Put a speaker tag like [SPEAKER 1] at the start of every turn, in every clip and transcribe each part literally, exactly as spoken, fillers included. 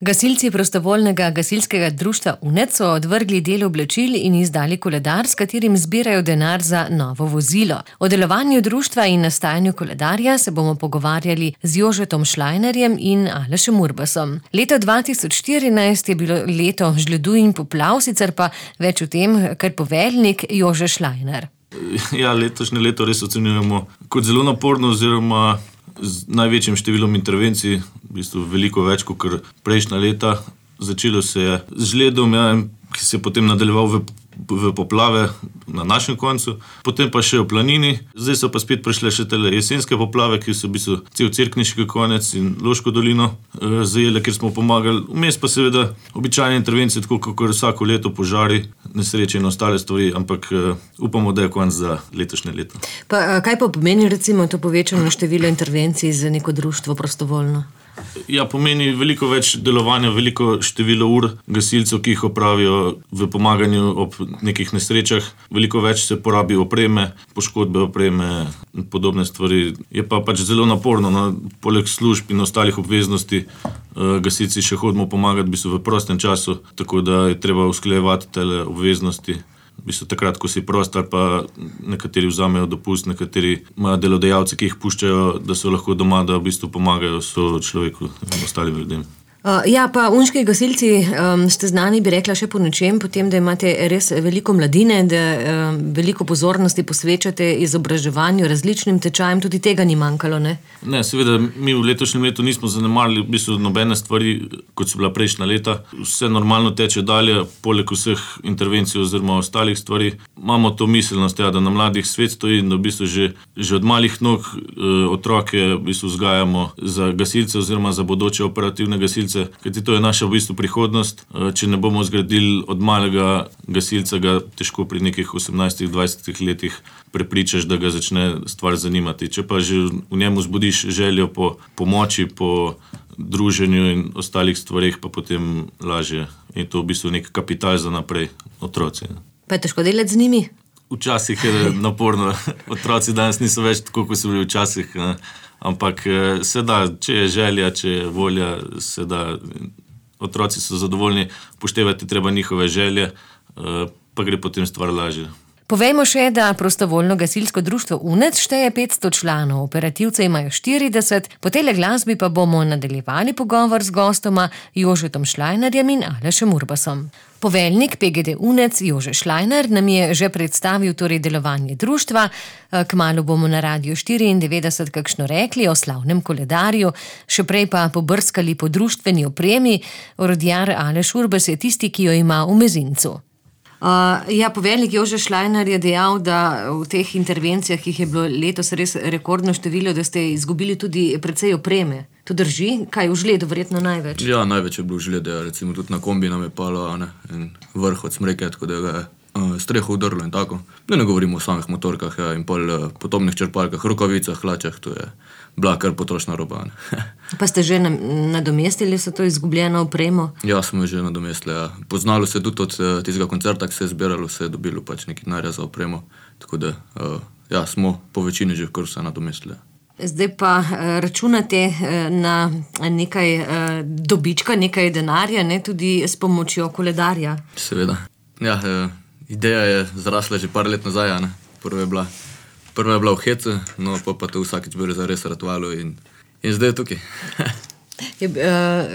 [SPEAKER 1] Gasilci prostovoljnega gasilskega društva UNED so odvrgli del oblačil in izdali koledar, s katerim zbirajo denar za novo vozilo. O delovanju društva in nastajanju koledarja se bomo pogovarjali z Jožetom Šlajnerjem in Alešem Urbasom. Leto dva tisoč štirinajst je bilo leto žledu in poplav, sicer pa več o tem, kar poveljnik Jože Šlajner.
[SPEAKER 2] Ja, letošnje leto res ocenjujemo kot zelo naporno oziroma z največjim številom intervencij, v bistvu veliko več kot prejšnja leta. Začelo se je z žledom, ja, ki se je potem nadaljeval v, v poplave na našem koncu, potem pa še v planini. Zdaj so pa spet prišle še tele jesenske poplave, ki so v bistvu cel Cerkniški konec in Loško dolino eh, zajele, kjer smo pomagali. Vmes pa seveda običajne intervencije, tako kot vsako leto požari, nesreče in ostale stvari, ampak uh, upamo, da je konc za letošnje leto.
[SPEAKER 1] Pa kaj pa pomeni recimo to povečano število intervencij za neko društvo prostovoljno?
[SPEAKER 2] Ja, pomeni veliko več delovanja, veliko število ur gasilcev, ki jih opravijo v pomaganju ob nekih nesrečah. Veliko več se porabi opreme, poškodbe opreme in podobne stvari. Je pa pač zelo naporno, no, poleg služb in ostalih obveznosti uh, gasilci še hodimo pomagati v bistvu v prostem času, tako da je treba usklajevati tele obveznosti. V bistvu takrat, ko si prost, ali pa nekateri vzamejo dopust, nekateri imajo delodajalci, ki jih puščajo, da so lahko doma, da v bistvu pomagajo človeku in ostalim ljudem.
[SPEAKER 1] Uh, ja, pa unški gasilci um, ste znani, bi rekla, še po nečem, potem, da imate res veliko mladine, da um, veliko pozornosti posvečate izobraževanju, različnim tečajem, tudi tega ni manjkalo, ne?
[SPEAKER 2] Ne, seveda, mi v letošnjem letu nismo zanemarili v bistvu nobene stvari, kot so bila prejšnja leta. Vse normalno teče dalje, poleg vseh intervencij oziroma ostalih stvari. Imamo to miselnost, ja, da na mladih svet stoji in da v bistvu že, že od malih nog eh, otroke v bistvu vzgajamo za gasilce oziroma za bodoče operativne gasilce, kajti to je naša v bistvu prihodnost. Če ne bomo zgradili od malega gasilca, ga težko pri nekih osemnajstih dvajsetih letih prepričaš, da ga začne stvar zanimati. Če pa že v njemu zbudiš željo po pomoči, po druženju in ostalih stvareh, pa potem lažje. In to v bistvu nek kapital za naprej, otroci.
[SPEAKER 1] Pa je težko delati z njimi?
[SPEAKER 2] Včasih je naporno. Otroci danes niso več tako, kot so bili včasih, ne? Ampak se da, če je želja, če je volja, se da. Otroci so zadovoljni, upoštevati treba njihove želje, pa gre potem stvar lažje.
[SPEAKER 1] Povejmo še, da prostovoljno gasilsko društvo UNED šteje petsto članov, operativce imajo štirideset, po tele glasbi pa bomo nadaljevali pogovor z gostoma Jožetom Šlajnerjem in Alešem Urbasom. Poveljnik P G D UNED Jože Šlajner nam je že predstavil torej delovanje društva, kmalu bomo na Radiu štiriindevetdeset kakšno rekli o slavnem koledarju, še prej pa pobrskali po društveni opremi. Orodjar Aleš Urbas je tisti, ki jo ima v mezincu. Uh, ja, poveljnik Jože Šlajner je dejal, da v teh intervencijah, ki jih je bilo letos res rekordno število, da ste izgubili tudi precej opreme. To drži? Kaj v žledu verjetno največ?
[SPEAKER 3] Ja, največ je bilo v žledu, ja. Recimo tudi na kombi nam je palo, ne, in vrh od smreke, tako da ga je uh, streho udrlo in tako. Ne, ne govorimo o samih motorkah, ja, in pol uh, potopnih črpalkah, rokavicah, hlačah, to je bila kar potrošna roba.
[SPEAKER 1] Pa ste že nadomestili so to izgubljeno opremo?
[SPEAKER 3] Ja, smo že nadomestili, ja. Poznalo se tudi od uh, tistega koncerta, ki se je zbiralo, se je dobilo pač nekaj denarja za opremo, tako da uh, ja, smo po večini že kar vse nadomestili.
[SPEAKER 1] Zdaj pa računate na nekaj dobička, nekaj denarja, ne, tudi s pomočjo koledarja?
[SPEAKER 3] Seveda. Ja, ideja je zrasla že par let nazaj, ne. Prva je bila, prva je bila v hecu, no pa pa to vsakič bilo zares ratovalo in, in zdaj je tukaj.
[SPEAKER 1] je,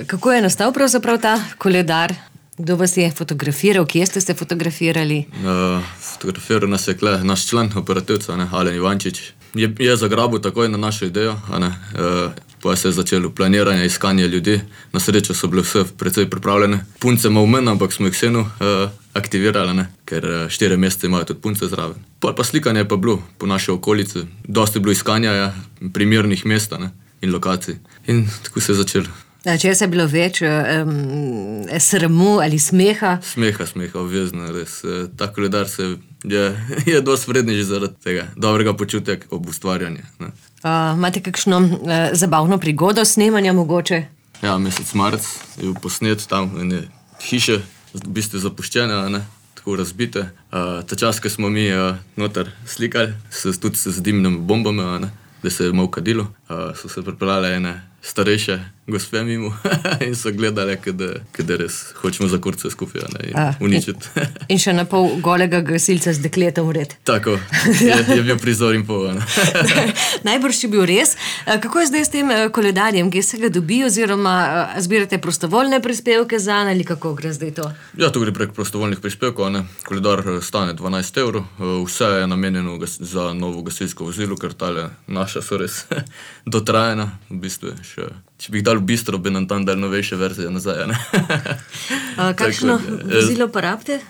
[SPEAKER 1] kako je nastal pravzaprav ta koledar? Kdo vas je fotografiral? Kje ste se fotografirali?
[SPEAKER 3] Uh, fotografiral nas je kle, naš član operativca, ne, Alen Ivančič. Je, je zagrabil takoj na našo idejo, a ne, uh, pa se je začelo planiranje, iskanje ljudi. Na srečo so bile vse precej pripravljene. Punce malo manj, ampak smo jih vseeno uh, aktivirali, ne, ker uh, štiri mesece imajo tudi punce zraven. Pol pa slikanje je pa bilo po naši okolici. Dosti je bilo iskanja, ja, primernih mest, ne, in lokacij. In tako se je začelo.
[SPEAKER 1] Če je bilo več um, sramu ali smeha?
[SPEAKER 3] Smeha, smeha, obvezno, res. Ta koledar se je, je dosti vredni že zaradi tega dobrega počutja ob ustvarjanju. Uh,
[SPEAKER 1] imate kakšno uh, zabavno prigodo snemanja mogoče?
[SPEAKER 3] Ja, mesec marec je bil posnet tam in je hiše v bistvu zapuščene, ne, tako razbite. Uh, ta čas, ko smo mi uh, noter slikali, se, tudi se z dimnimi bombami, ne, da se je malo kadilo, uh, so se pripeljale ene starejše gospe mimo in so gledali, kada res hočemo za kurce skupaj in
[SPEAKER 1] A,
[SPEAKER 3] uničiti.
[SPEAKER 1] In še na pol golega gasilca z dekletom vred.
[SPEAKER 3] Tako, je, je bil prizor in pol.
[SPEAKER 1] Najbrž je bil res. Kako je zdaj s tem koledarjem, kje se ga dobi, oziroma zbirate prostovoljne prispevke zanj ali kako gre zdaj to?
[SPEAKER 3] Ja, to gre prek prostovoljnih prispevkov. Ne. Koledar stane dvanajst evrov, vse je namenjeno za novo gasilsko vozilo, ker tale naša so res dotrajena. V bistvu je še, če bi jih dal v bistro, bi nam tam dal novejše verzije nazaj. Ne.
[SPEAKER 1] Kakšno vozilo pa rabite?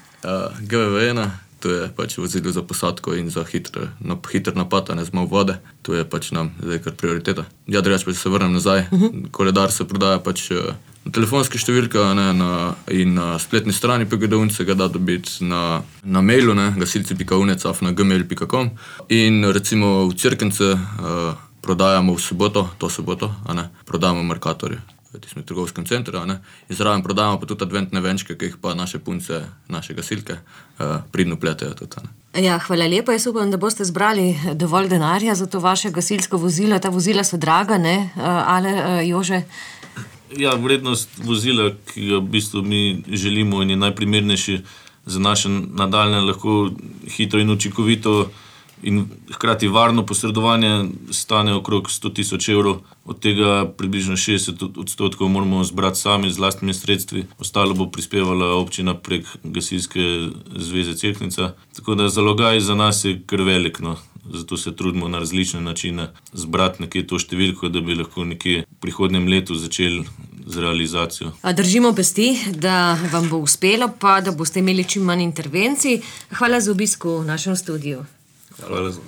[SPEAKER 3] G V V ena, to je pač vozilo za posadko in za hitr, na, hitr napad, ne z malo vode. To je pač nam zdaj kar prioriteta. Ja, drugače pa se vrnem nazaj. Uh -huh. Koledar se prodaja pač na telefonski številki in na spletni strani P G D Unce ga da dobiti na, na mailu, gasilci pika unec afna gmail pika com, in recimo v Cerkence uh, prodajamo v soboto, to soboto, a ne, prodajamo Mercatorje v tistem trgovskem centru, a ne, in zraven prodajamo pa tudi adventne venčke, ki jih pa naše punce, naše gasilke uh, pridno pletejo tudi, a ne.
[SPEAKER 1] Ja, hvala lepa. Jaz upam, da boste zbrali dovolj denarja za to vaše gasilsko vozilo. Ta vozila so draga, ne, ale Jože?
[SPEAKER 2] Ja, vrednost vozila, ki ga v bistvu mi želimo in je najprimernejši za naše nadaljne lahko hitro in učinkovito in hkrati varno posredovanje, stane okrog sto tisoč evrov. Od tega približno šestdeset odstotkov moramo zbrati sami z lastnimi sredstvi. Ostalo bo prispevala občina prek Gasilske zveze Cerknica. Tako da zalogaj za nas je kar velik, no. Zato se trudimo na različne načine zbrati nekje to številko, da bi lahko nekje v prihodnjem letu začeli z realizacijo.
[SPEAKER 1] A držimo pesti, da vam bo uspelo, pa da boste imeli čim manj intervencij. Hvala za obisk v našem studiu.
[SPEAKER 2] Hvala za